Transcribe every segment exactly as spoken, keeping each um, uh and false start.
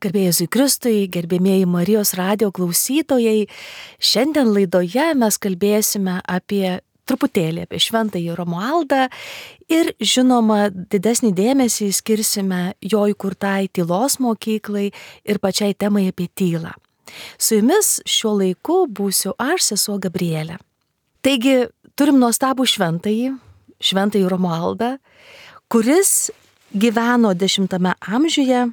Garbė Jėzui Kristui, gerbėmieji Marijos radijo klausytojai, šiandien laidoje mes kalbėsime apie truputėlį apie šventąjį Romualdą ir žinoma didesnį dėmesį skirsime jo įkurtai tylos mokyklai ir pačiai temai apie tylą. Su jumis šiuo laiku būsiu aš, sesuo Gabrielė. Taigi turim nuostabų šventąjį, šventąjį Romualdą, kuris gyveno dešimtame amžiuje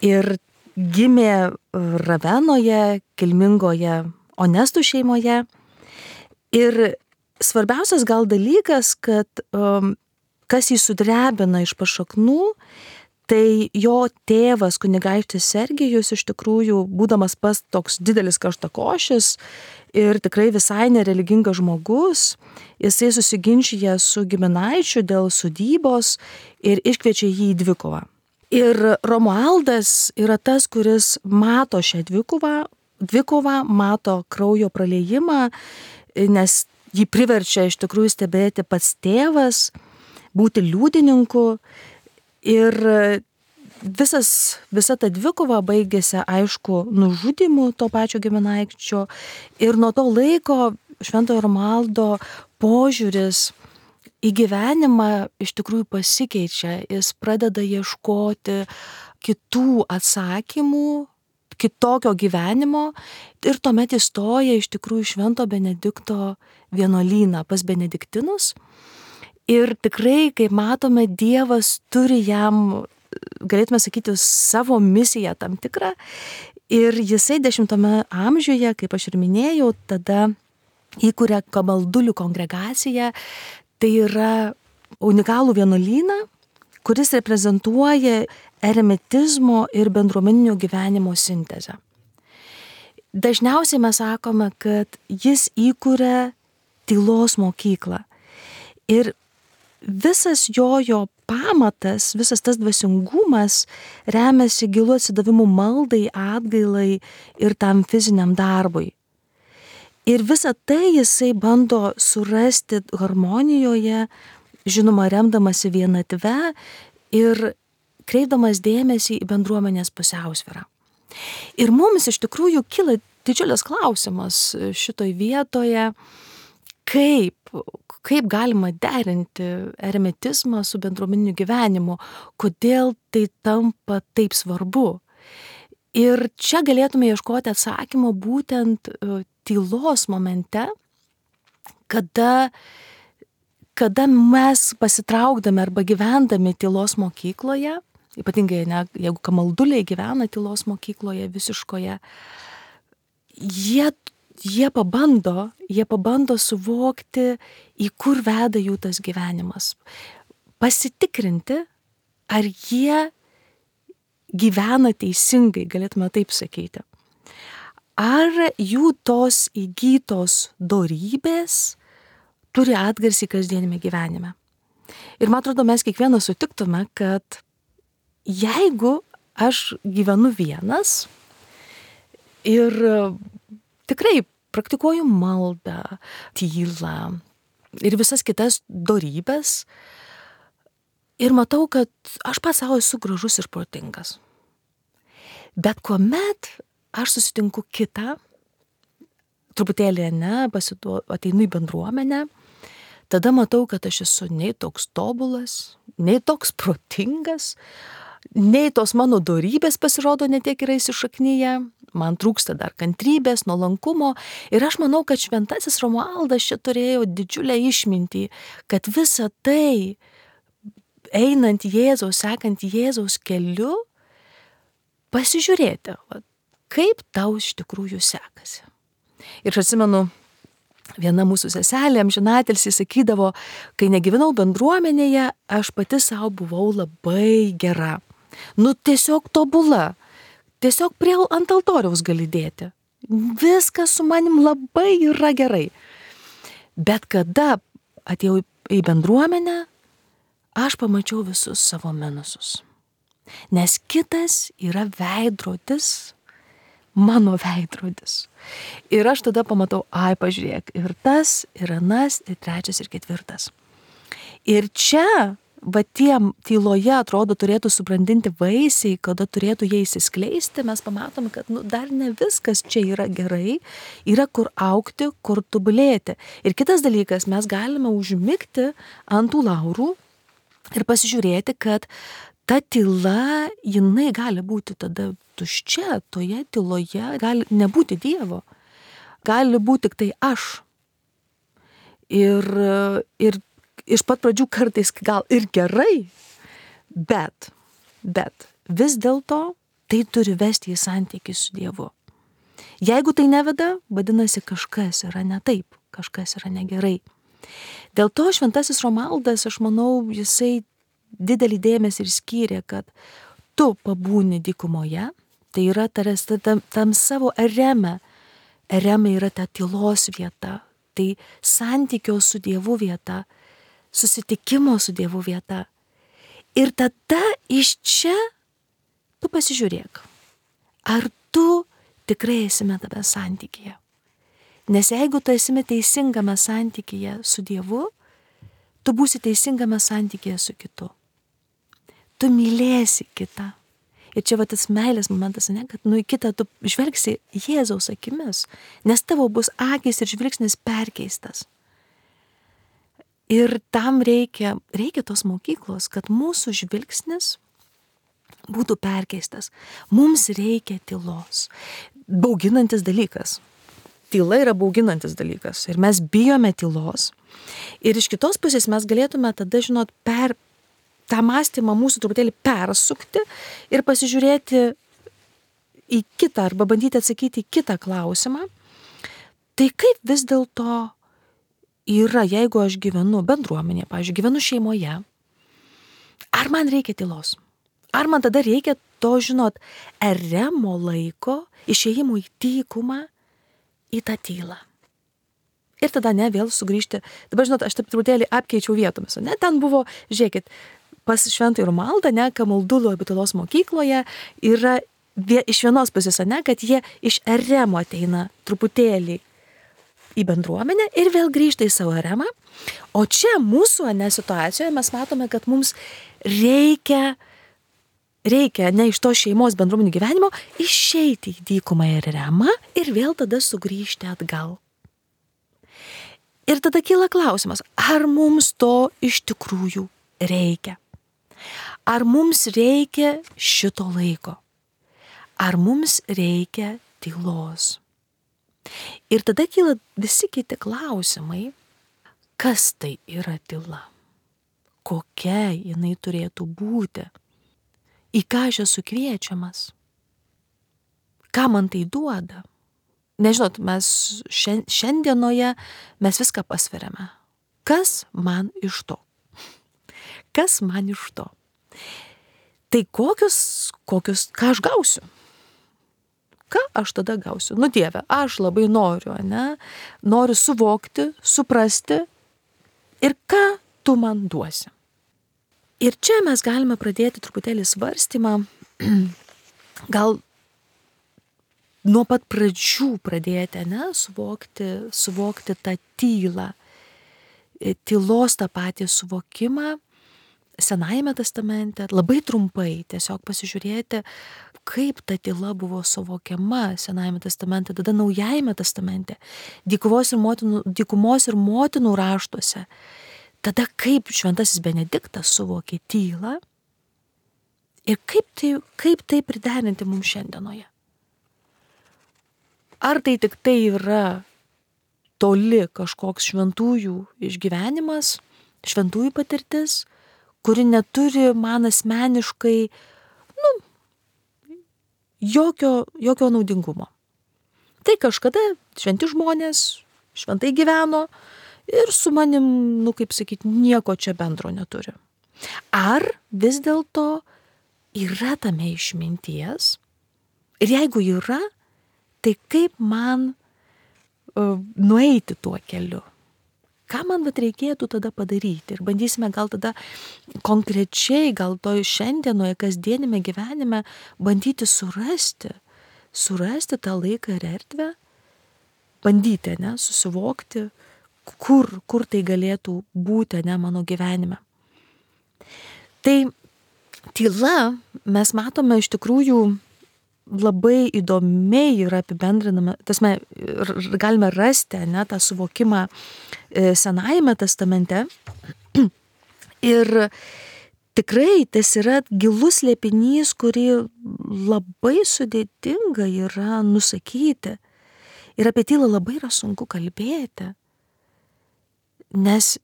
ir gimė Ravenoje, kilmingoje Onestų šeimoje. Ir svarbiausias gal dalykas, kad um, kas jį sudrebina iš pašaknų, tai jo tėvas kunigaikštis Sergijus iš tikrųjų, būdamas pas toks didelis karštakošis ir tikrai visai nereligingas žmogus, jisai susiginčija su giminaičiu dėl sodybos ir iškviečia jį į dvikovą. Ir Romualdas yra tas, kuris mato šią dvikovą, dvikovą, mato kraujo praliejimą, nes jį priverčia iš tikrųjų stebėti pats tėvas, būti liudininku. Ir visas, visa ta dvikova baigėsi, aišku, nužudymu to pačio giminaičio. Ir nuo to laiko šventojo Romualdo požiūris į gyvenimą iš tikrųjų pasikeičia, jis pradeda ieškoti kitų atsakymų, kitokio gyvenimo ir tuomet įstoja iš tikrųjų Švento Benedikto vienuolyną pas benediktinus. Ir tikrai, kaip matome, Dievas turi jam, galėtume sakyti, savo misiją tam tikrą. Ir jisai dešimtame amžiuje, kaip aš ir minėjau, tada įkuria kamaldulių kongregaciją. Tai yra unikalų vienuolyną, kuris reprezentuoja eremitizmo ir bendruomeninio gyvenimo sintezę. Dažniausiai mes sakome, kad jis įkuria tylos mokyklą. Ir visas jojo pamatas, visas tas dvasingumas remiasi gilu atsidavimu maldai, atgailai ir tam fiziniam darbui. Ir visą tai jisai bando surasti harmonijoje, žinoma, remdamasi vienatve ir kreipdamas dėmesį į bendruomenės pusiausvyrą. Ir mums iš tikrųjų kyla didžiulis klausimas šitoj vietoje, kaip, kaip galima derinti eremitizmą su bendruomeniniu gyvenimu, kodėl tai tampa taip svarbu. Ir čia galėtume ieškoti atsakymo būtent tylos momente, kada, kada mes pasitraukdami arba gyvendami tylos mokykloje, ypatingai ne, jeigu kamalduliai gyvena tylos mokykloje visiškoje, jie, jie, pabando, jie pabando suvokti, į kur veda jų tas gyvenimas. Pasitikrinti, ar jie gyvena teisingai, galėtume taip sakyti. Ar jų tos įgytos dorybės turi atgarsį kasdienime gyvenime. Ir man atrodo, mes kiekvienas sutiktume, kad jeigu aš gyvenu vienas ir tikrai praktikuoju maldą, tylą ir visas kitas dorybės ir matau, kad aš pats savo esu gražus ir protingas. Bet kuomet aš susitinku kitą, truputėlį ne, pasitu, ateinu į bendruomenę, tada matau, kad aš esu nei toks tobulas, nei toks protingas, nei tos mano dorybės pasirodo netiek yra įsišaknyje, man trūksta dar kantrybės, nuolankumo ir aš manau, kad šventasis Romualdas čia turėjo didžiulę išmintį, kad visa tai, einant Jėzaus, sekant Jėzaus keliu, pasižiūrėti, kaip tau iš tikrųjų sekasi. Ir aš atsimenu, viena mūsų seselė amžinatilsį sakydavo, kai negyvenau bendruomenėje, aš pati savo buvau labai gera. Nu tiesiog tobula. Tiesiog prie ant altoriaus gali dėti. Viskas su manim labai yra gerai. Bet kada atėjau į bendruomenę, aš pamačiau visus savo minusus. Nes kitas yra veidrodis, mano veidrodis. Ir aš tada pamatau, ai, pažiūrėk, ir tas, ir anas, ir trečias, ir ketvirtas. Ir čia va tie tyloje atrodo turėtų subrandinti vaisiai, kada turėtų jie įsiskleisti, mes pamatom, kad nu, dar ne viskas čia yra gerai, yra kur augti, kur tobulėti. Ir kitas dalykas, mes galime užmigti ant tų laurų ir pasižiūrėti, kad ta tyla, jinai gali būti tada tuščia, toje tyloje gali nebūti Dievo, gali būti tik tai aš. Ir, ir iš pat pradžių kartais gal ir gerai, bet, bet vis dėlto tai turi vesti į santykį su Dievu. Jeigu tai neveda, vadinasi kažkas yra ne taip, kažkas yra negerai. Dėl to šventasis Romualdas, aš manau, jisai didelį dėmesį ir skyrė, kad tu pabūni dykumoje, tai yra taras, tam, tam savo ereme, ereme yra ta tylos vieta, tai santykio su Dievu vieta, susitikimo su Dievu vieta. Ir tada iš čia tu pasižiūrėk, ar tu tikrai esime tame santykyje. Nes jeigu tu esime teisingame santykyje su Dievu, tu būsi teisingame santykyje su kitu. Tu mylėsi kitą. Ir čia va tas meilės momentas, ne, kad nu į kitą tu žvelgsi Jėzaus akimis, nes tavo bus akys ir žvilgsnis perkeistas. Ir tam reikia, reikia tos mokyklos, kad mūsų žvilgsnis būtų perkeistas. Mums reikia tylos. Bauginantis dalykas. Tyla yra bauginantis dalykas. Ir mes bijome tylos. Ir iš kitos pusės mes galėtume tada, žinot, per tą mąstymą mūsų truputėlį persukti ir pasižiūrėti į kitą arba bandyti atsakyti į kitą klausimą. Tai kaip vis dėlto yra, jeigu aš gyvenu bendruomenėje, pavyzdžiui, gyvenu šeimoje, ar man reikia tylos? Ar man tada reikia to, žinot, eremo laiko, išėjimo į dykumą, į tą tylą? Ir tada ne, vėl sugrįžti. Dabar, žinot, aš taip truputėlį apkeičiau vietomis. Ne, ten buvo, žiūrėkit, pas šventąjį Romualdą, ne, Kamaldulo abitulos mokykloje yra vie, iš vienos pusės, ne, kad jie iš eremo ateina truputėlį į bendruomenę ir vėl grįžta į savo eremą. O čia mūsų, ne, situacijoje mes matome, kad mums reikia, reikia ne iš to šeimos bendruomenių gyvenimo išeiti į dykumą ir eremą ir vėl tada sugrįžti atgal. Ir tada kyla klausimas, ar mums to iš tikrųjų reikia? Ar mums reikia šito laiko? Ar mums reikia tylos? Ir tada kyla visi kiti klausimai, kas tai yra tyla? Kokia jinai turėtų būti? Į ką aš esu kviečiamas? Ką man tai duoda? Nežinot, mes šiandienoje mes viską pasveriame. Kas man iš to? Kas man iš to? Tai kokius, kokius, ką aš gausiu? Ką aš tada gausiu? Nu Dieve, aš labai noriu, ne? Noriu suvokti, suprasti ir ką tu man duosi. Ir čia mes galime pradėti truputėlį svarstymą, gal nuo pat pradžių pradėti, ne, suvokti, suvokti tą tylą, tylos tą patį suvokimą Senajame testamente, labai trumpai tiesiog pasižiūrėti, kaip ta tyla buvo suvokiama Senajame testamente, tada Naujajame testamente, dykumos ir motinų, dykumos ir motinų raštuose, tada kaip šventasis Benediktas suvokė tylą ir kaip tai, kaip tai priderinti mums šiandienoje. Ar tai tik tai yra toli kažkoks šventųjų išgyvenimas, šventųjų patirtis, kuri neturi man asmeniškai, nu, jokio, jokio naudingumo. Tai kažkada šventi žmonės šventai gyveno ir su manim, nu, kaip sakyti, nieko čia bendro neturi. Ar vis dėlto yra tame išminties? Ir jeigu yra, tai kaip man uh, nueiti tuo keliu? Ką man vat reikėtų tada padaryti? Ir bandysime gal tada konkrečiai, gal to šiandienoje, kasdienime gyvenime bandyti surasti, surasti tą laiką ir erdvę, bandyti, ne, susivokti, kur, kur tai galėtų būti, ne, mano gyvenime. Tai tyla, mes matome iš tikrųjų labai įdomiai yra apibendrinama, tasme, galime rasti, ne, tą suvokimą Senajame testamente. Ir tikrai tas yra gilus slėpinys, kurį labai sudėtinga yra nusakyti. Ir apie tylą labai yra sunku kalbėti, nes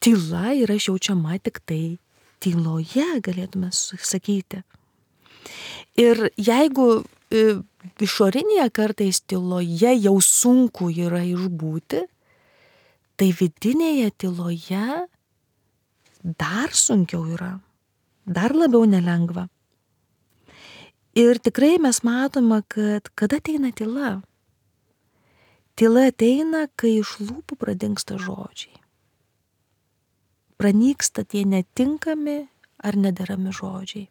tyla yra išjaučiama tik tai tyloje, galėtume sakyti. Ir jeigu išorinėje kartais tyloje jau sunku yra išbūti, tai vidinėje tyloje dar sunkiau yra, dar labiau nelengva. Ir tikrai mes matome, kad kada ateina tyla? Tyla ateina, kai iš lūpų pradingsta žodžiai. Pranyksta tie netinkami ar nederami žodžiai.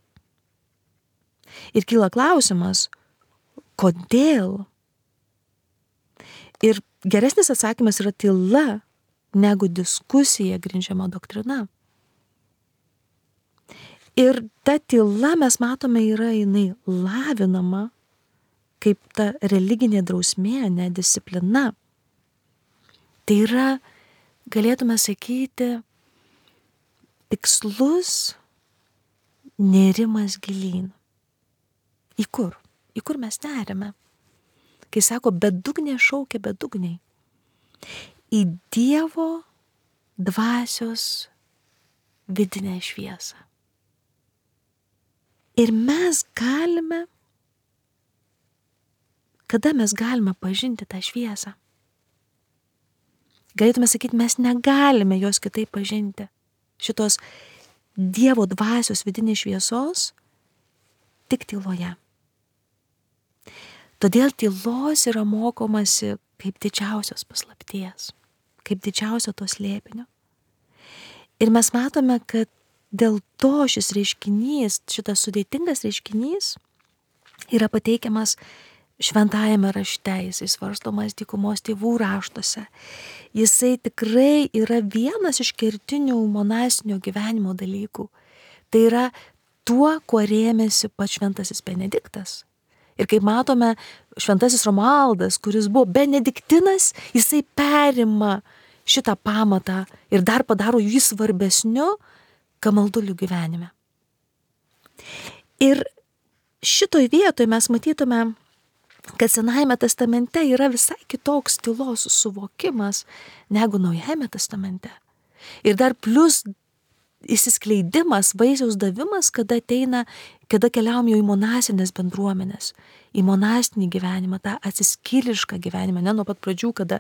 Ir kyla klausimas, kodėl? Ir geresnis atsakymas yra tyla, negu diskusija grindžiama doktrina. Ir ta tyla, mes matome, yra jinai lavinama kaip ta religinė drausmė, ne disciplina. Tai yra, galėtume sakyti, tikslus nerimas gilyn. Į kur? Į kur mes nerime? Kai sako, bedugnė šaukia bedugniai. Į Dievo dvasios vidinę šviesą. Ir mes galime, kada mes galime pažinti tą šviesą? Galėtume sakyti, mes negalime jos kitaip pažinti. Šitos Dievo dvasios vidinės šviesos tik tyloje. Todėl tylos yra mokomasi kaip didžiausios paslapties, kaip didžiausio to slėpinio. Ir mes matome, kad dėl to šis reiškinys, šitas sudėtingas reiškinys yra pateikiamas šventajame rašte, jisai svarstomas dykumos tėvų raštuose. Jisai tikrai yra vienas iš kertinių monastinio gyvenimo dalykų. Tai yra tuo, kuo rėmėsi pats šventasis Benediktas. Ir kaip matome, šventasis Romualdas, kuris buvo benediktinas, jisai perima šitą pamatą ir dar padaro jį svarbesniu kamaldulių gyvenime. Ir šitoj vietoje mes matytume, kad Senajame testamente yra visai kitoks tylos suvokimas negu Naujajame testamente. Ir dar plus įsiskleidimas, vaisiaus davimas, kada ateina, kada keliaujam jau į monasinės bendruomenės, į monastinį gyvenimą, tą atsiskyrėlišką gyvenimą, ne nuo pat pradžių, kada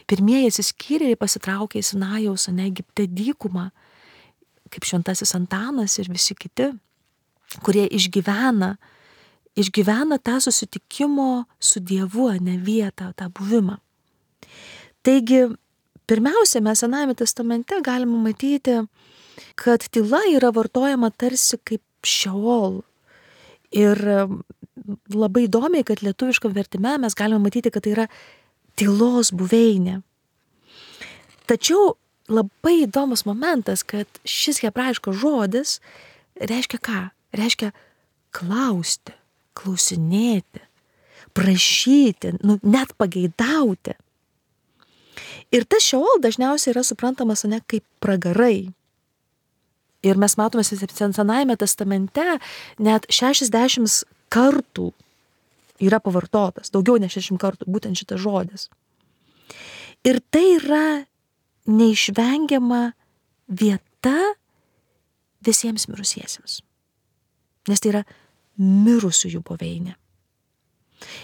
pirmieji atsiskyrėliai pasitraukė į Sinajaus, ne Egipte dykumą, kaip šventasis Antanas ir visi kiti, kurie išgyvena, išgyvena tą susitikimo su Dievu, ne vietą, tą buvimą. Taigi, pirmiausia, mes Senajame testamente galime matyti, kad tyla yra vartojama tarsi kaip šeol. Ir labai įdomiai, kad lietuviškam vertime mes galime matyti, kad tai yra tylos buveinė. Tačiau labai įdomus momentas, kad šis hebrajiškas žodis reiškia ką? Reiškia klausti, klausinėti, prašyti, nu, net pageidauti. Ir tas šeol dažniausiai yra suprantamas ne kaip pragarai. Ir mes matome Senajame testamente net šešiasdešimt kartų yra pavartotas, daugiau nei šešiasdešimt kartų, būtent šitas žodis. Ir tai yra neišvengiama vieta visiems mirusiesiems. Nes tai yra mirusiųjų buveinė.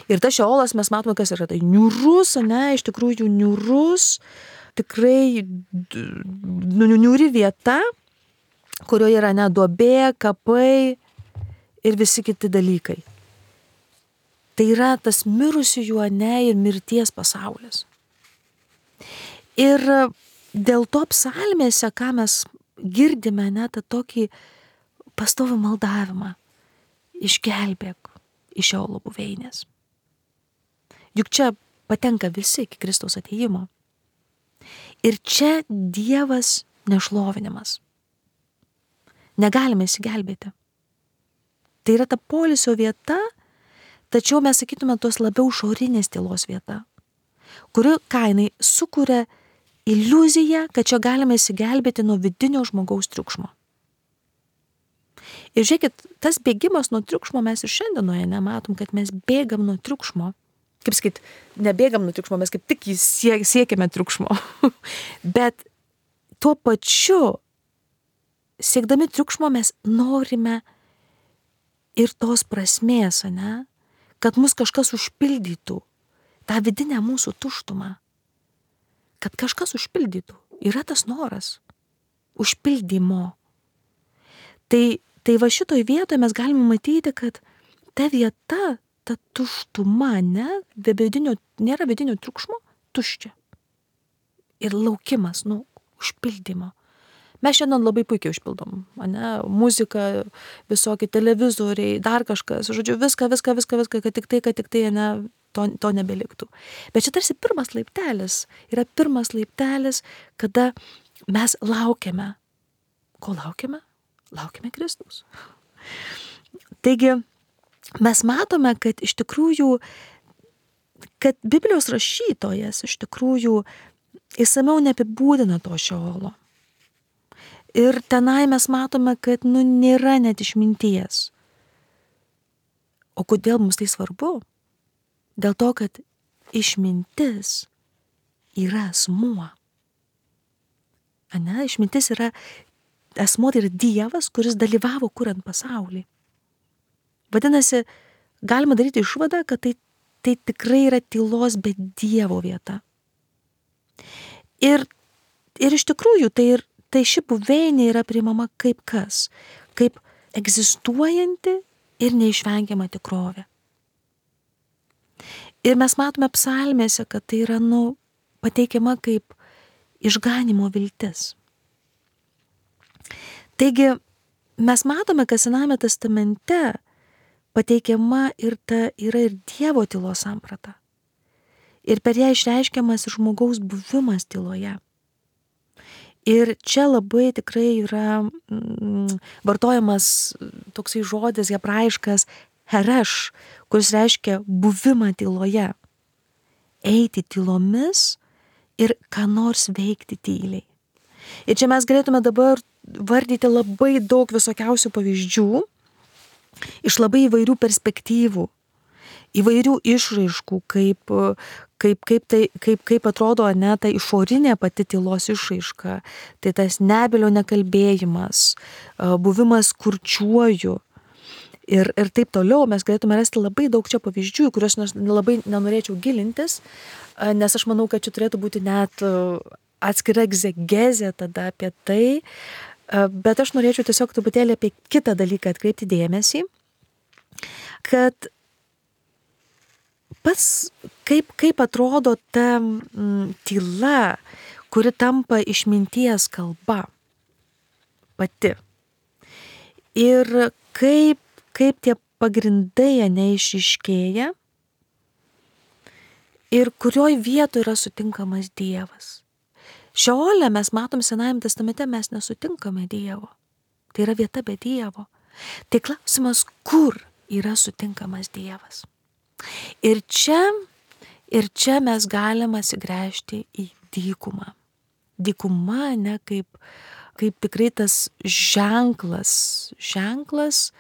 Ir tas šeolas mes matome, kas yra tai niūrus, ne, iš tikrųjų niūrus, tikrai niūri vieta, kurioje yra ne duobė, kapai ir visi kiti dalykai. Tai yra tas mirusiųjų, ne, ir mirties pasaulis. Ir dėl to psalmėse, ką mes girdime, ne, tą tokį pastovų maldavimą, išgelbėk iš šeolo buveinės. Juk čia patenka visi iki Kristaus atėjimo. Ir čia Dievas nešlovinimas. negalime įsigelbėti. Tai yra ta poilsio vieta, tačiau mes sakytume tos labiau šorinės tylos vieta, kuri kainai sukuria iliuziją, kad čia galime įsigelbėti nuo vidinio žmogaus triukšmo. Ir žiūrėkit, tas bėgimas nuo triukšmo mes ir šiandienoje nematom, kad mes bėgam nuo triukšmo. Kaip sakyt, nebėgam nuo triukšmo, mes kaip tik siekiame triukšmo. Bet tuo pačiu, siekdami triukšmo, mes norime ir tos prasmės, ne? Kad mus kažkas užpildytų, tą vidinę mūsų tuštumą. Kad kažkas užpildytų. Yra tas noras užpildymo. Tai, tai va šitoj vietoje mes galime matyti, kad ta vieta, ta tuštuma, ne, be vidinio, nėra vidinio triukšmo, tuščia. Ir laukimas, nu, užpildymo. Mes šiandien labai puikiai užpildom, ne, muzika, visokie televizoriai, dar kažkas, žodžiu, viską, viską, viską, viską, kad tik tai, kad tik tai, ne, to, to nebeliktų. Bet čia tarsi pirmas laiptelis, yra pirmas laiptelis, kada mes laukiame. Ko laukiame? Laukiame Kristaus. Taigi, mes matome, kad iš tikrųjų, kad Biblijos rašytojas iš tikrųjų įsamiau neapibūdina to Šeolo. Ir tenai mes matome, kad nu nėra net išminties. O kodėl mums tai svarbu? Dėl to, kad išmintis yra asmuo. Ane, išmintis yra asmuo, tai yra Dievas, kuris dalyvavo kuriant pasaulį. Vadinasi, galima daryti išvadą, kad tai, tai tikrai yra tylos be Dievo vieta. Ir, ir iš tikrųjų, tai, ir, tai ši buveinė yra priimama kaip kas, kaip egzistuojanti ir neišvengiama tikrovė. Ir mes matome psalmėse, kad tai yra, nu, pateikiama kaip išganimo viltis. Taigi, mes matome, kad Sename testamente pateikiama ir ta yra ir Dievo tylos samprata. Ir per ją išreiškiamas ir žmogaus buvimas tyloje. Ir čia labai tikrai yra mm, vartojamas toksai žodis hebrajiškas hereš, kuris reiškia buvimą tyloje. Eiti tylomis ir ką nors veikti tyliai. Ir čia mes galėtume dabar vardyti labai daug visokiausių pavyzdžių iš labai įvairių perspektyvų, įvairių išraiškų, kaip, kaip, kaip, tai, kaip, kaip atrodo ne, ta išorinė pati tylos išraiška, tai tas nebylio nekalbėjimas, buvimas kurčiuoju ir, ir taip toliau. Mes galėtume rasti labai daug čia pavyzdžių, kuriuos labai nenorėčiau gilintis, nes aš manau, kad čia turėtų būti net atskira egzegezė tada apie tai, bet aš norėčiau tiesiog truputėlį apie kitą dalyką atkreipti dėmesį, kad pats, kaip, kaip atrodo ta m, tyla, kuri tampa išminties kalba pati. Ir kaip, kaip tie pagrindai neišiškėja ir kurioj vietoje yra sutinkamas Dievas. Šeole mes matom Senajame testamente, mes nesutinkame Dievo. Tai yra vieta be Dievo. Tai klausimas, kur yra sutinkamas Dievas. Ir čia, ir čia mes galime atsigręžti į dykumą. Dykuma, ne, kaip, kaip tikrai tas ženklas, ženklas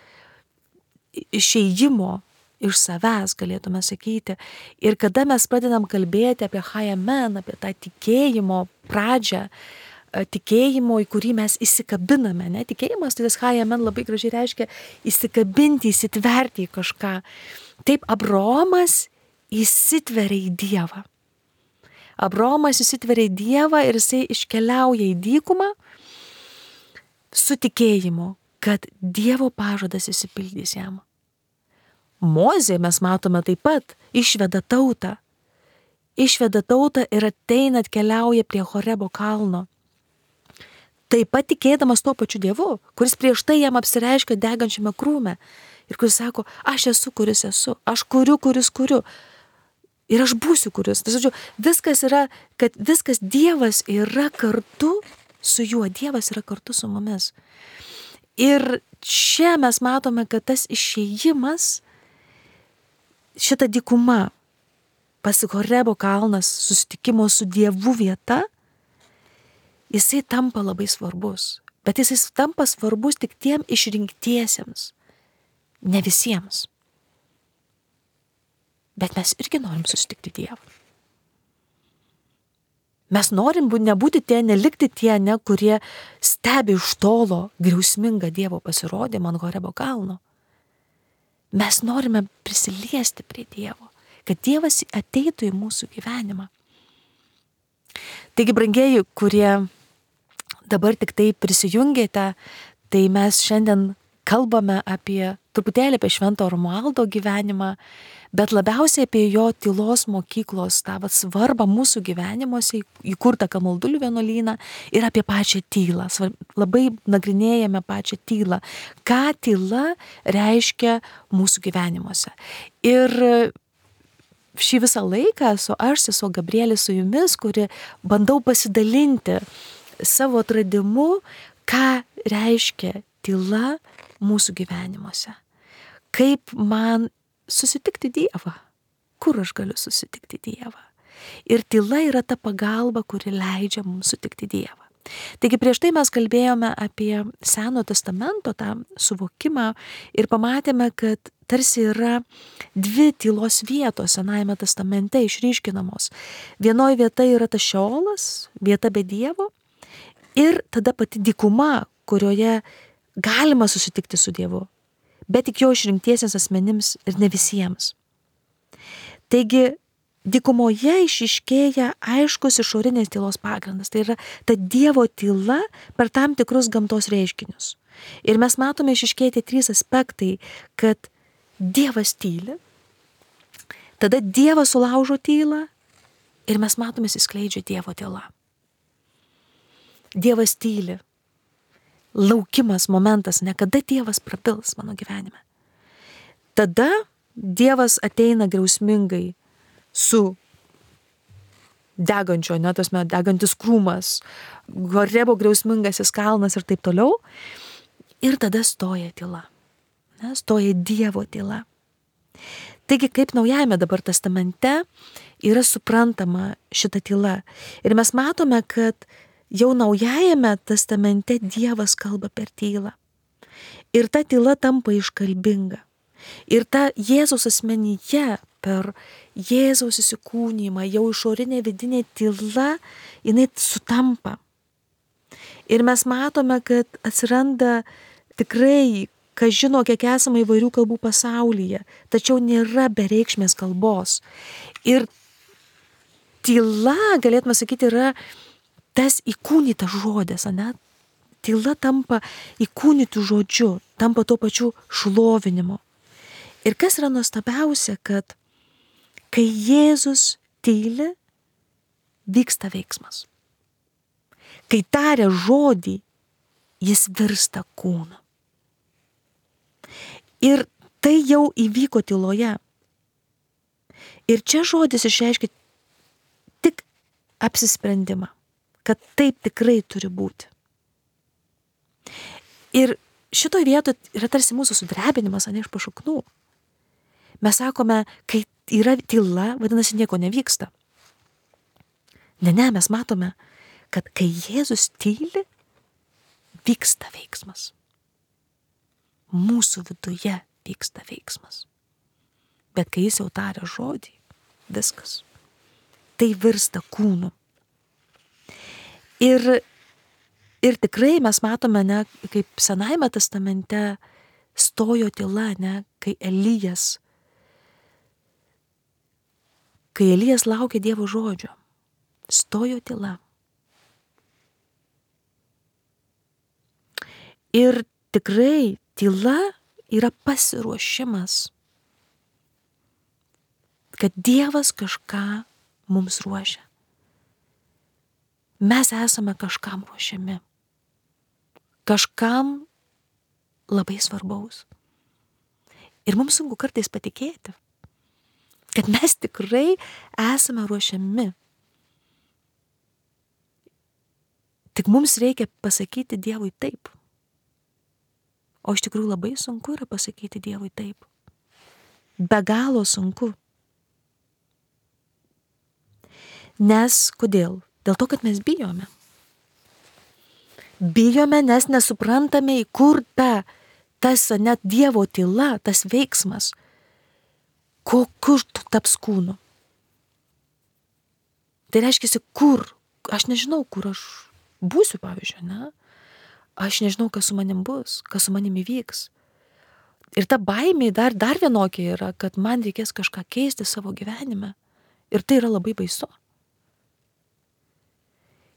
išėjimo iš savęs, galėtume sakyti. Ir kada mes pradedam kalbėti apie Hayamen, apie tą tikėjimo pradžią, tikėjimo, į kurį mes įsikabiname, ne? Tikėjimas, tai tas Hayamen labai gražiai reiškia įsikabinti, įsitverti į kažką. Taip, Abraomas įsitveria į Dievą. Abraomas įsitveria į Dievą ir jisai iškeliauja į dykumą su tikėjimu, kad Dievo pažadas išsipildys jam. Mozė, mes matome taip pat, išveda tautą. Išveda tautą ir ateina, atkeliauja prie Horebo kalno. Taip pat tikėdamas tuo pačiu Dievu, kuris prieš tai jam apsireiškia degančiame krūme. Ir kuris sako, aš esu, kuris esu, aš kuriu, kuris kuriu. Ir aš būsiu, kuris. Tai, žodžiu, viskas yra, kad viskas Dievas yra kartu su juo. Dievas yra kartu su mumis. Ir čia mes matome, kad tas išėjimas, šita dykuma, pas Horebo kalnas, susitikimo su Dievu vieta, jisai tampa labai svarbus. Bet jisai tampa svarbus tik tiem išrinktiesiems, ne visiems. Bet mes irgi norim susitikti Dievą. Mes norim nebūti tie, nelikti tie, ne, kurie stebi iš tolo griausmingą Dievo pasirodymą ant Horebo kalno. Mes norime prisiliesti prie Dievo, kad Dievas ateitų į mūsų gyvenimą. Taigi, brangieji, kurie dabar tik tai prisijungėte, tai mes šiandien kalbame apie truputėlį apie Švento Romualdo gyvenimą, bet labiausiai apie jo tylos mokyklos tą vat svarbą mūsų gyvenimuose, įkurtą Kamaldulių vienuolyną ir apie pačią tylą. Labai nagrinėjame pačią tylą. Ką tyla reiškia mūsų gyvenimuose. Ir šį visą laiką esu aš, sesuo Gabrielė, su jumis, kuri bandau pasidalinti savo atradimu, ką reiškia tyla mūsų gyvenimuose. Kaip man susitikti Dievą. Kur aš galiu susitikti Dievą? Ir tyla yra ta pagalba, kuri leidžia mums sutikti Dievą. Taigi prieš tai mes kalbėjome apie Seno testamento tą suvokimą ir pamatėme, kad tarsi yra dvi tylos vietos Senajame testamente išryškinamos. Vienoje vieta yra tas Šeolas, vieta be Dievo, ir tada pati dykuma, kurioje galima susitikti su Dievu, bet tik jo išrinktiesiems asmenims ir ne visiems. Taigi, dykumoje išiškėja aiškus išorinės tylos pagrindas. Tai yra ta Dievo tyla per tam tikrus gamtos reiškinius. Ir mes matome išiškėti trys aspektai, kad Dievas tyli, tada Dievas sulaužo tylą ir mes matome įsiskleidžia Dievo tyla. Dievas tyli. Laukimas momentas, ne kada Dievas prabils mano gyvenime. Tada Dievas ateina griausmingai su degančio, ne, tasme, degantis krūmas, Horebo griausmingasis kalnas ir taip toliau. Ir tada stoja tyla. Ne, stoja Dievo tyla. Taigi, kaip Naujajame dabar testamente yra suprantama šita tyla. Ir mes matome, kad jau Naujajame testamente Dievas kalba per tylą. Ir ta tyla tampa iškalbinga. Ir ta Jėzaus asmenyje per Jėzaus įsikūnijimą jau išorinė vidinė tyla, jinai sutampa. Ir mes matome, kad atsiranda tikrai, kas žino, kiek esama įvairių kalbų pasaulyje, tačiau nėra bereikšmės kalbos. Ir tyla, galėtume sakyti, yra tas įkūnytas žodis, ane? Tyla tampa įkūnytų žodžiu, tampa tuo pačiu šlovinimu. Ir kas yra nuostabiausia, kad kai Jėzus tyli, vyksta veiksmas. Kai taria žodį, jis virsta kūnu. Ir tai jau įvyko tyloje. Ir čia žodis išreiškia tik apsisprendimą, kad taip tikrai turi būti. Ir šitoje vietoje yra tarsi mūsų sudrebinimas, ane, iš pašaknų. Mes sakome, kai yra tyla, vadinasi, nieko nevyksta. Ne, ne, mes matome, kad kai Jėzus tyli, vyksta veiksmas. Mūsų viduje vyksta veiksmas. Bet kai jis jau taria žodį, viskas. Tai virsta kūnu. Ir, ir tikrai mes matome, ne, kaip Senajame testamente stojo tyla, ne, kai Elijas, kai Elijas laukė Dievo žodžio, stojo tyla. Ir tikrai tyla yra pasiruošimas, kad Dievas kažką mums ruošia. Mes esame kažkam ruošiami. Kažkam labai svarbaus. Ir mums sunku kartais patikėti, kad mes tikrai esame ruošiami. Tik mums reikia pasakyti Dievui taip. O iš tikrųjų labai sunku yra pasakyti Dievui taip. Be galo sunku. Nes kodėl? Dėl to, kad mes bijome. Bijome, nes nesuprantame, į kur ta, tas net Dievo tyla, tas veiksmas, kokiu taps kūnu. Tai reiškia, kur, aš nežinau, kur aš būsiu, pavyzdžiui, ne? Aš nežinau, kas su manim bus, kas su manim įvyks. Ir ta baimė dar, dar vienokia yra, kad man reikės kažką keisti savo gyvenime. Ir tai yra labai baisu.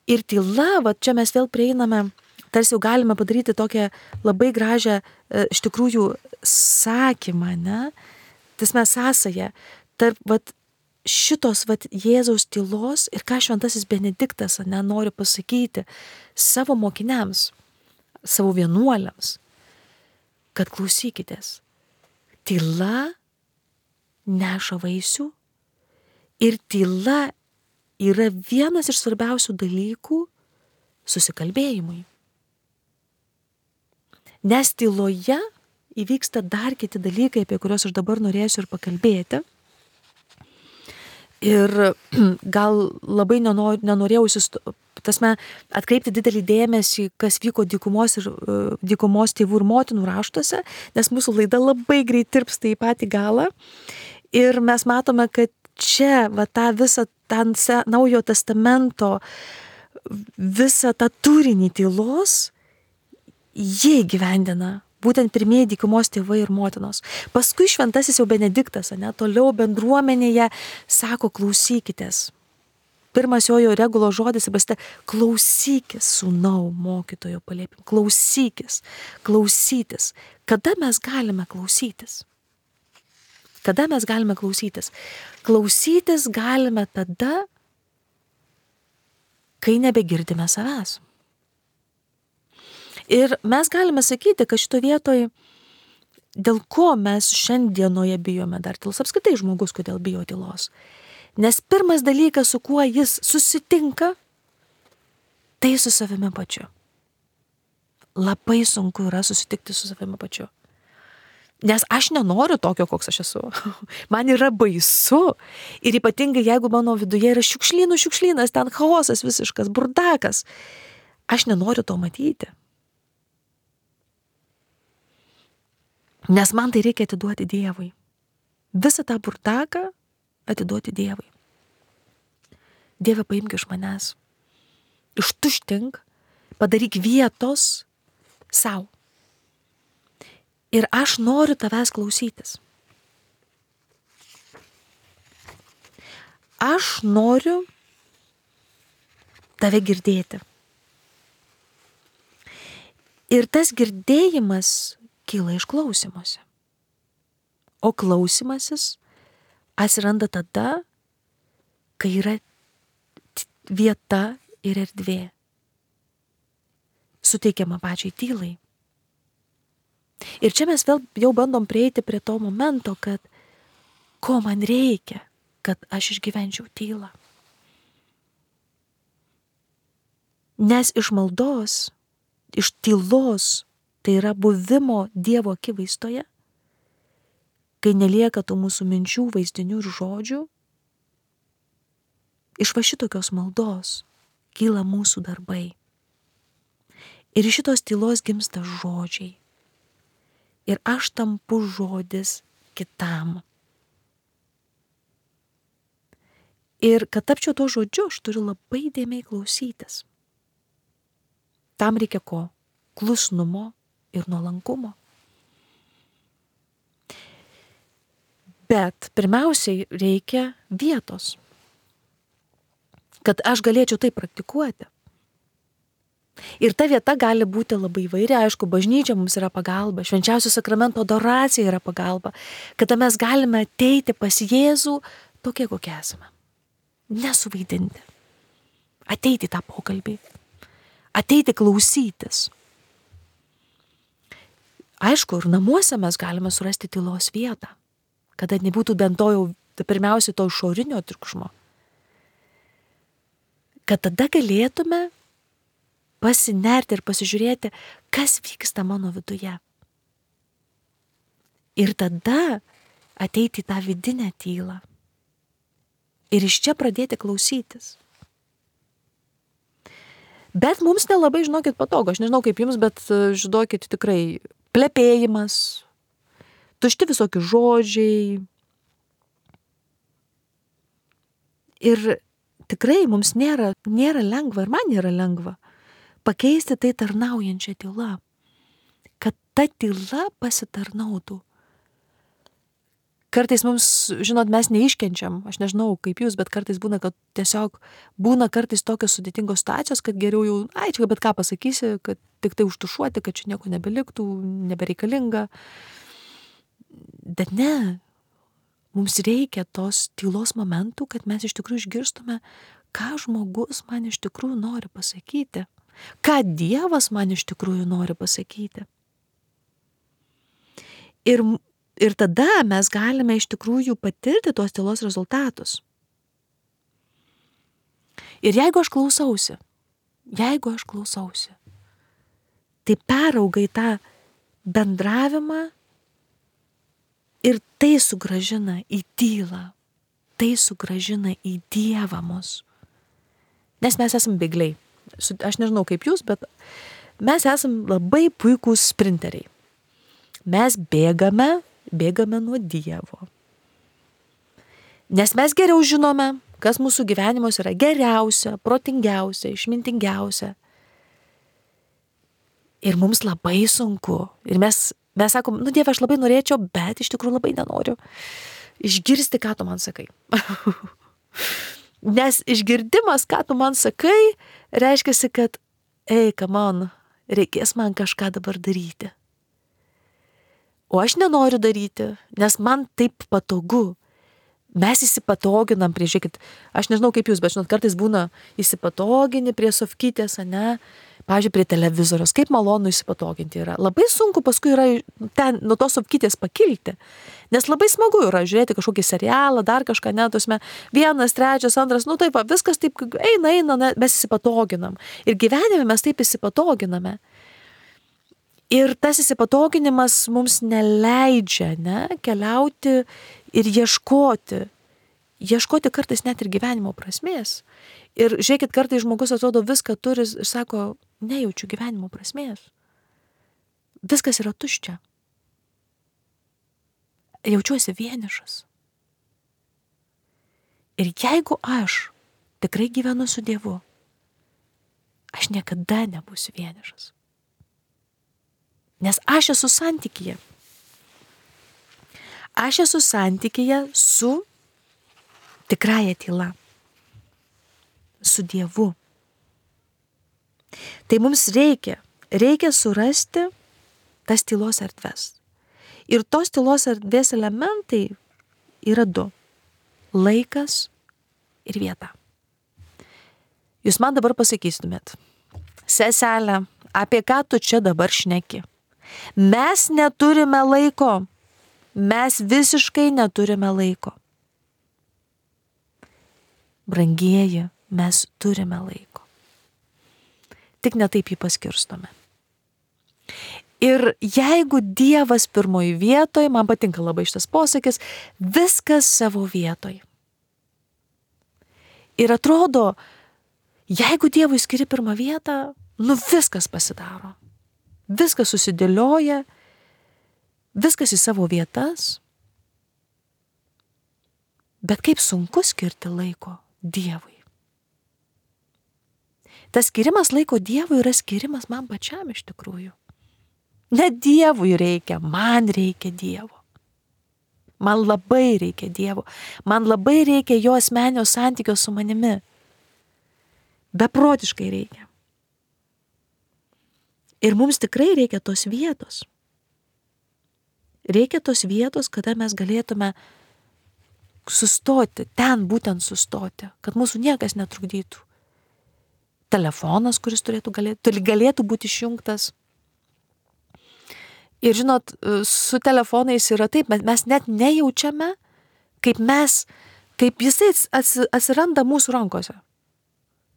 Ir tyla, va čia mes vėl prieiname, tarsi jau galime padaryti tokią labai gražią, iš tikrųjų, sakymą, ne? Tas mes sąsaja tarp va, šitos va, Jėzaus tylos ir ką šventasis Benediktas, ne, nori pasakyti savo mokiniams, savo vienuoliams, kad klausykitės, tyla neša vaisių ir tyla yra vienas iš svarbiausių dalykų susikalbėjimui. Nes tyloje įvyksta dar kiti dalykai, apie kuriuos aš dabar norėsiu ir pakalbėti. Ir gal labai nenor, nenorėjau tasme, atkreipti didelį dėmesį, kas vyko dykumos, ir, dykumos tėvų ir motinų raštuose, nes mūsų laida labai greit tirpsta į patį galą. Ir mes matome, kad čia va, tą visą tą Naujojo testamento visą tą turinį tylos jie įgyvendina. Būtent pirmieji dykumos tėvai ir motinos. Paskui šventasis jau Benediktas, ne, toliau bendruomenėje sako klausykitės. Pirmas jojo regulo žodis, pasite, klausykis, sūnau, mokytojo paliepim. Klausykis, klausytis. Kada mes galime klausytis? Kada mes galime klausytis? Klausytis galime tada, kai nebegirdime savęs. Ir mes galime sakyti, kad šito vietoj, dėl ko mes šiandienoje bijome dar tylos, apskritai žmogus, kodėl bijo tylos. Nes pirmas dalykas, su kuo jis susitinka, tai su savimi pačiu. Labai sunku yra susitikti su savimi pačiu. Nes aš nenoriu tokio, koks aš esu. Man yra baisu. Ir ypatingai, jeigu mano viduje yra šiukšlynų šiukšlynas, ten chaosas visiškas, burdakas. Aš nenoriu to matyti. Nes man tai reikia atiduoti Dievui. Visą tą burdaką atiduoti Dievui. Dieve, paimk iš manęs. Ištuštink, padaryk vietos sau. Ir aš noriu tavęs klausytis. Aš noriu tave girdėti. Ir tas girdėjimas kyla iš klausymosi. O klausymasis atsiranda tada, kai yra vieta ir erdvė. Suteikiama pačiai tylai. Ir čia mes vėl jau bandom prieiti prie to momento, kad ko man reikia, kad aš išgyvenčiau tylą. Nes iš maldos, iš tylos, tai yra buvimo Dievo akivaizdoje, kai nelieka tų mūsų minčių, vaizdinių ir žodžių, iš va šitokios maldos kyla mūsų darbai. Ir iš šitos tylos gimsta žodžiai. Ir aš tampu žodis kitam. Ir kad tapčiau to žodžiu, aš turiu labai dėmiai klausytis. Tam reikia ko? Klusnumo ir nuolankumo. Bet pirmiausiai reikia vietos, kad aš galėčiau tai praktikuoti. Ir ta vieta gali būti labai įvairi, aišku, bažnyčia mums yra pagalba, švenčiausio sakramento adoracija yra pagalba, kada mes galime ateiti pas Jėzų tokie, kokie esame. Nesuvaidinti. Ateiti tą pokalbį. Ateiti klausytis. Aišku, ir namuose mes galime surasti tylos vietą, kada nebūtų bent to jau pirmiausiai to išorinio triukšmo. Kad tada galėtume pasinerti ir pasižiūrėti, kas vyksta mano viduje. Ir tada ateiti į tą vidinę tylą. Ir iš čia pradėti klausytis. Bet mums nelabai, žinokit, patogu. Aš nežinau kaip jums, bet žinokit, tikrai plepėjimas, tušti visokie žodžiai. Ir tikrai mums nėra, nėra lengva, ir man nėra lengva, pakeisti tai tarnaujančią tylą. Kad ta tyla pasitarnautų. Kartais mums, žinot, mes neiškenčiam, aš nežinau kaip jūs, bet kartais būna, kad tiesiog būna kartais tokios sudėtingos situacijos, kad geriau jau, ai, čia bet ką pasakysi, kad tik tai užtušuoti, kad čia nieko nebeliktų, nebereikalinga. Bet ne, mums reikia tos tylos momentų, kad mes iš tikrųjų išgirstume, ką žmogus man iš tikrųjų nori pasakyti, ką Dievas man iš tikrųjų nori pasakyti. Ir Ir tada mes galime iš tikrųjų patirti tos tylos rezultatus. Ir jeigu aš klausausi, jeigu aš klausausi, tai perauga į tą bendravimą ir tai sugrąžina į tylą, tai sugrąžina į Dievą mus. Nes mes esam bėgliai. Aš nežinau kaip jūs, bet mes esam labai puikūs sprinteriai. Mes bėgame, bėgame nuo Dievo. Nes mes geriau žinome, kas mūsų gyvenimuose yra geriausia, protingiausia, išmintingiausia. Ir mums labai sunku. Ir mes, mes sakom, nu Dieve, aš labai norėčiau, bet iš tikrųjų labai nenoriu išgirsti, ką tu man sakai. Nes išgirdimas, ką tu man sakai, reiškia, kad, ei, come on, reikės man kažką dabar daryti. O aš nenoriu daryti, nes man taip patogu. Mes įsipatoginam prie, žiūrėkit, aš nežinau kaip jūs, bet žinot, kartais būna įsipatogini prie sofkytės, ne, pavyzdžiui, prie televizoriaus, kaip malonu įsipatoginti yra. Labai sunku paskui yra ten nuo tos sofkytės pakilti, nes labai smagu yra žiūrėti kažkokį serialą, dar kažką, ne, tuosme, vienas, trečias, antras, nu taip, viskas taip eina, eina, ne, mes įsipatoginam. Ir gyvenime mes taip įsipatoginame. Ir tas įsipatoginimas mums neleidžia, ne, keliauti ir ieškoti. Ieškoti kartais net ir gyvenimo prasmės. Ir žiūrėkit, kartais žmogus atrodo viską turi ir sako, nejaučiu gyvenimo prasmės. Viskas yra tuščia. Jaučiuosi vienišas. Ir jeigu aš tikrai gyvenu su Dievu, aš niekada nebūsiu vienišas. Nes aš esu santykyje. Aš esu santykyje su tikrąja tyla. Su Dievu. Tai mums reikia, reikia surasti tas tylos erdves. Ir tos tylos erdvės elementai yra du. Laikas ir vieta. Jūs man dabar pasakytumėt, seselė, apie ką tu čia dabar šneki? Mes neturime laiko. Mes visiškai neturime laiko. Brangieji, mes turime laiko. Tik netaip jį paskirstome. Ir jeigu Dievas pirmoji vietoj, man patinka labai šitas posakis, viskas savo vietoj. Ir atrodo, jeigu Dievui skiri pirmą vietą, nu viskas pasidaro. Viskas susidėlioja, viskas į savo vietas. Bet kaip sunku skirti laiko Dievui. Tas skirimas laiko Dievui yra skirimas man pačiam iš tikrųjų. Ne Dievui reikia, man reikia Dievo. Man labai reikia Dievo. Man labai reikia jo asmeninio santykio su manimi. Beprotiškai reikia. Ir mums tikrai reikia tos vietos. Reikia tos vietos, kada mes galėtume sustoti, ten būtent sustoti, kad mūsų niekas netrukdytų. Telefonas, kuris turėtų galėtų, galėtų būti išjungtas. Ir žinot, su telefonais yra taip, mes net nejaučiame, kaip mes, kaip jisai atsiranda mūsų rankose.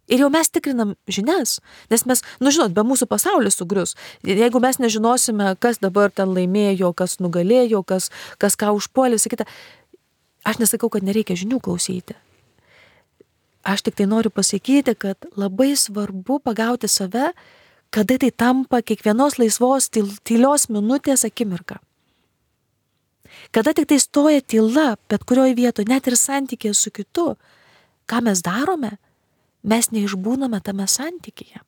Ir jau mes tikrinam žinias, nes mes, nu žinot, be mūsų pasaulis sugrius. Jeigu mes nežinosime, kas dabar ten laimėjo, kas nugalėjo, kas, kas ką užpuolė, sakyta, aš nesakau, kad nereikia žinių klausyti. Aš tik tai noriu pasakyti, kad labai svarbu pagauti save, kada tai tampa kiekvienos laisvos tylios minutės akimirka. Kada tik tai stoja tyla, bet kurioje vietoje, net ir santykėje su kitu, ką mes darome, mes neišbūname tame santykyje.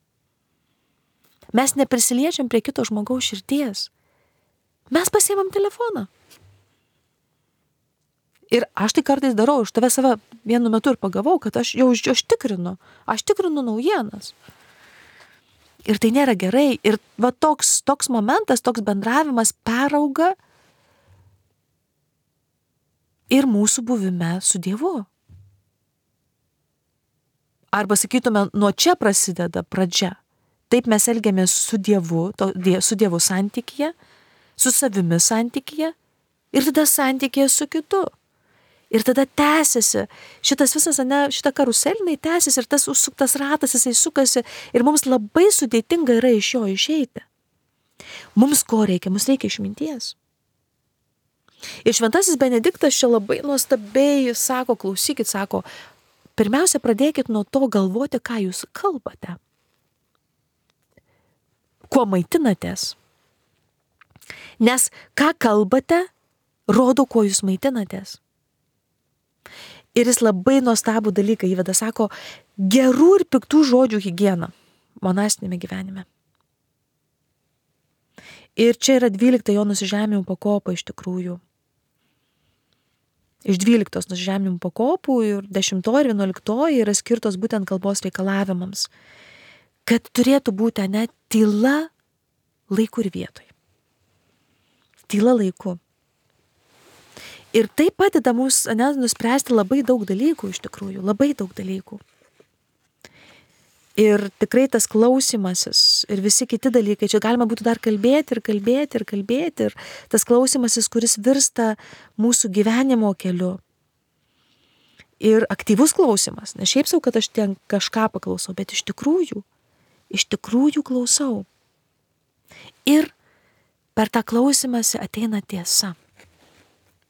Mes neprisiliečiam prie kito žmogaus širdies. Mes pasiimam telefoną. Ir aš tai kartais darau, aš tave save vienu metu ir pagavau, kad aš jau aš tikrinu, aš tikrinu naujienas. Ir tai nėra gerai. Ir va toks, toks momentas, toks bendravimas perauga ir mūsų buvime su Dievu. Arba sakytume, nuo čia prasideda pradžia. Taip mes elgiamės su Dievu, to, su Dievu santykyje, su savimi santykyje ir tada santykyje su kitu. Ir tada tęsiasi šitas visas, ne, šita karuselinai tęsiasi ir tas užsuktas ratas, jisai sukasi ir mums labai sudėtinga yra iš jo išeiti. Mums ko reikia? Mums reikia išminties. Ir šventasis Benediktas čia labai nuostabiai sako, klausykit, sako, pirmiausia, pradėkit nuo to galvoti, ką jūs kalbate. Kuo maitinatės. Nes ką kalbate, rodo, kuo jūs maitinatės. Ir jis labai nuostabų dalyką įveda, sako, gerų ir piktų žodžių higiena monastinėme gyvenime. Ir čia yra dvylikta jo nusižeminimų pakopa iš tikrųjų. Iš dvyliktos nusižeminimų pakopų ir dešimtoji ir vienuoliktoji yra skirtos būtent kalbos reikalavimams. Kad turėtų būti, ne, tyla laiku ir vietoj. Tyla laiku. Ir tai padeda mums, ne, nuspręsti labai daug dalykų iš tikrųjų, labai daug dalykų. Ir tikrai tas klausimasis ir visi kiti dalykai, čia galima būtų dar kalbėti ir kalbėti ir kalbėti. Ir tas klausimasis, kuris virsta mūsų gyvenimo keliu. Ir aktyvus klausimas. Ne šiaip sau, kad aš ten kažką paklausau, bet iš tikrųjų, iš tikrųjų klausau. Ir per tą klausimąsi ateina tiesa.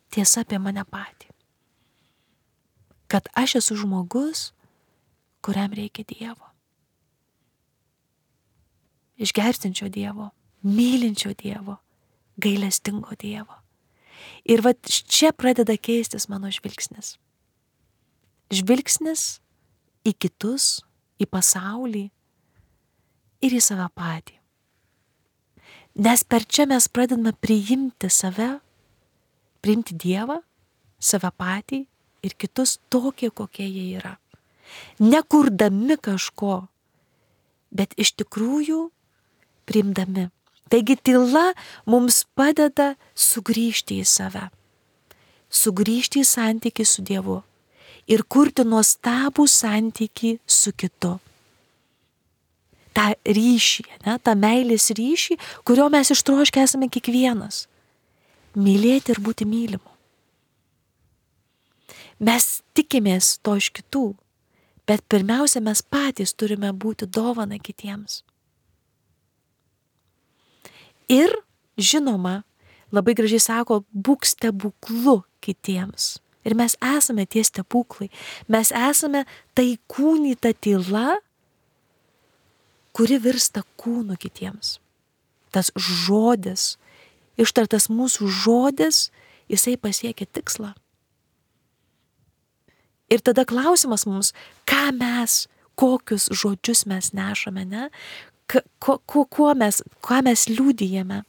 Tiesa apie mane patį. Kad aš esu žmogus, kuriam reikia Dievo. Išgersinčio Dievo, mylinčio Dievo, gailestingo Dievo. Ir va čia pradeda keistis mano žvilgsnis. Žvilgsnis į kitus, į pasaulį ir į save patį. Nes per čia mes pradedame priimti save, priimti Dievą, save patį ir kitus tokie, kokie jie yra. Nekurdami kažko, bet iš tikrųjų priimdami. Taigi tyla mums padeda sugrįžti į save, sugrįžti į santykį su Dievu ir kurti nuostabų santykį su kitu. Ta ryšį, ne, ta meilės ryšį, kurio mes ištroškę esame kiekvienas. Mylėti ir būti mylimu. Mes tikimės to iš kitų, bet pirmiausia, mes patys turime būti dovana kitiems. Ir, žinoma, labai gražiai sako, būk stebuklu kitiems. Ir mes esame tie stebuklai. Mes esame tai kūnyta tyla, kuri virsta kūnu kitiems. Tas žodis, ištartas mūsų žodis, jisai pasiekia tikslą. Ir tada klausimas mums, ką mes, kokius žodžius mes nešame, ne? Ko, ko, ko mes, ką mes liudijame.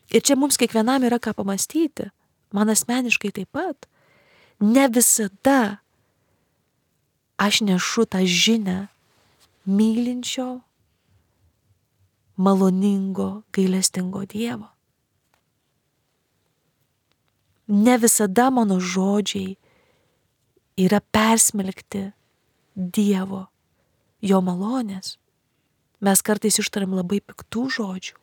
Ir čia mums kiekvienam yra ką pamastyti. Man asmeniškai taip pat. Ne visada aš nešu tą žinią mylinčio, maloningo, gailestingo Dievo. Ne visada mano žodžiai yra persmelkti Dievo, jo malonės. Mes kartais ištariam labai piktų žodžių,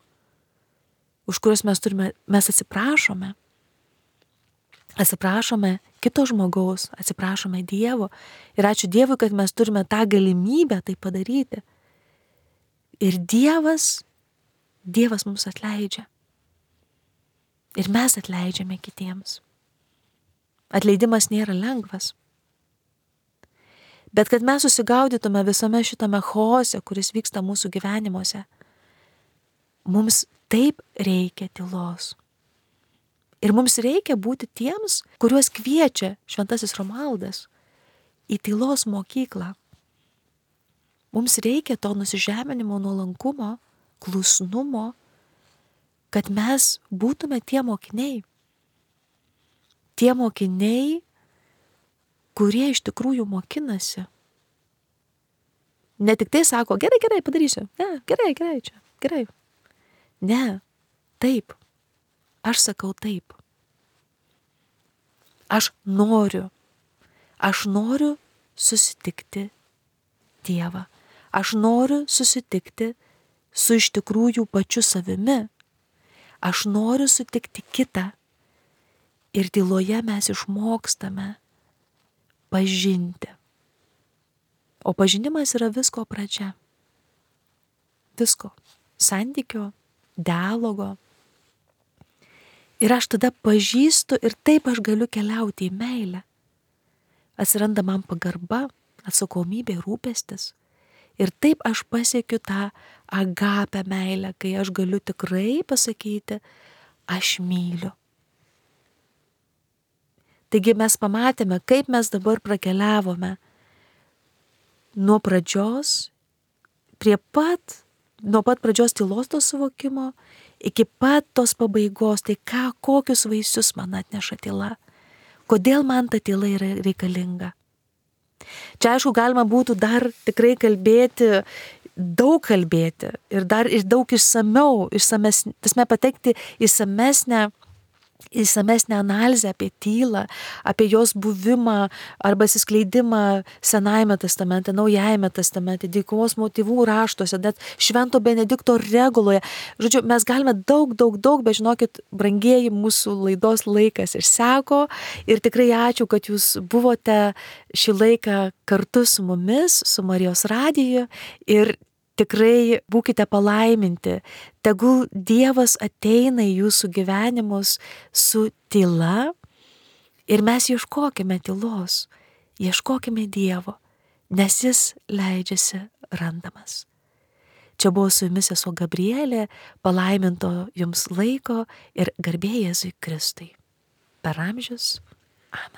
už kuriuos mes turime, mes atsiprašome. Atsiprašome kito žmogaus, atsiprašome Dievo ir ačiū Dievui, kad mes turime tą galimybę tai padaryti. Ir Dievas, Dievas mums atleidžia. Ir mes atleidžiame kitiems. Atleidimas nėra lengvas. Bet kad mes susigaudytume visame šitame chaose, kuris vyksta mūsų gyvenimuose, mums taip reikia tylos. Ir mums reikia būti tiems, kuriuos kviečia šventasis Romualdas į tylos mokyklą. Mums reikia to nusižeminimo, nuolankumo, klusnumo, kad mes būtume tie mokiniai. Tie mokiniai, kurie iš tikrųjų mokinasi. Ne tik tai sako, gerai, gerai, padarysiu. Ne, gerai, gerai, čia, gerai. Ne, taip. Aš sakau taip. Aš noriu. Aš noriu susitikti Dievą. Aš noriu susitikti su iš tikrųjų pačiu savimi. Aš noriu sutikti kitą. Ir tyloje mes išmokstame pažinti. O pažinimas yra visko pradžia. Visko. Santykio, dialogo. Ir aš tada pažįstu ir taip aš galiu keliauti į meilę. Atsiranda man pagarba, atsakomybė, rūpestis. Ir taip aš pasiekiu tą agapę meilę, kai aš galiu tikrai pasakyti, aš myliu. Taigi mes pamatėme, kaip mes dabar prakeliavome nuo pradžios, prie pat, nuo pat pradžios tylos to suvokimo, iki pat tos pabaigos, tai ką, kokius vaisius man atneša tyla, kodėl man ta tyla yra reikalinga. Čia aišku galima būtų dar tikrai kalbėti, daug kalbėti ir dar ir daug išsamiau, išsames, tasme patekti išsamesnę, išsamesnę analizę apie tylą, apie jos buvimą arba atsiskleidimą Senajame testamente, Naujajame testamente, dykumos motyvų raštuose, net Švento Benedikto reguloje. Žodžiu, mes galime daug, daug, daug, bet žinokit, brangieji, mūsų laidos laikas išseko ir tikrai ačiū, kad jūs buvote šį laiką kartu su mumis, su Marijos radiju ir tikrai būkite palaiminti. Tegul Dievas ateina į jūsų gyvenimus su tyla ir mes ieškokime tylos, ieškokime Dievo, nes jis leidžiasi randamas. Čia buvo su jumis sesuo Gabrielė, palaiminto jums laiko ir garbė Jėzui Kristui. Per amžius. Amen.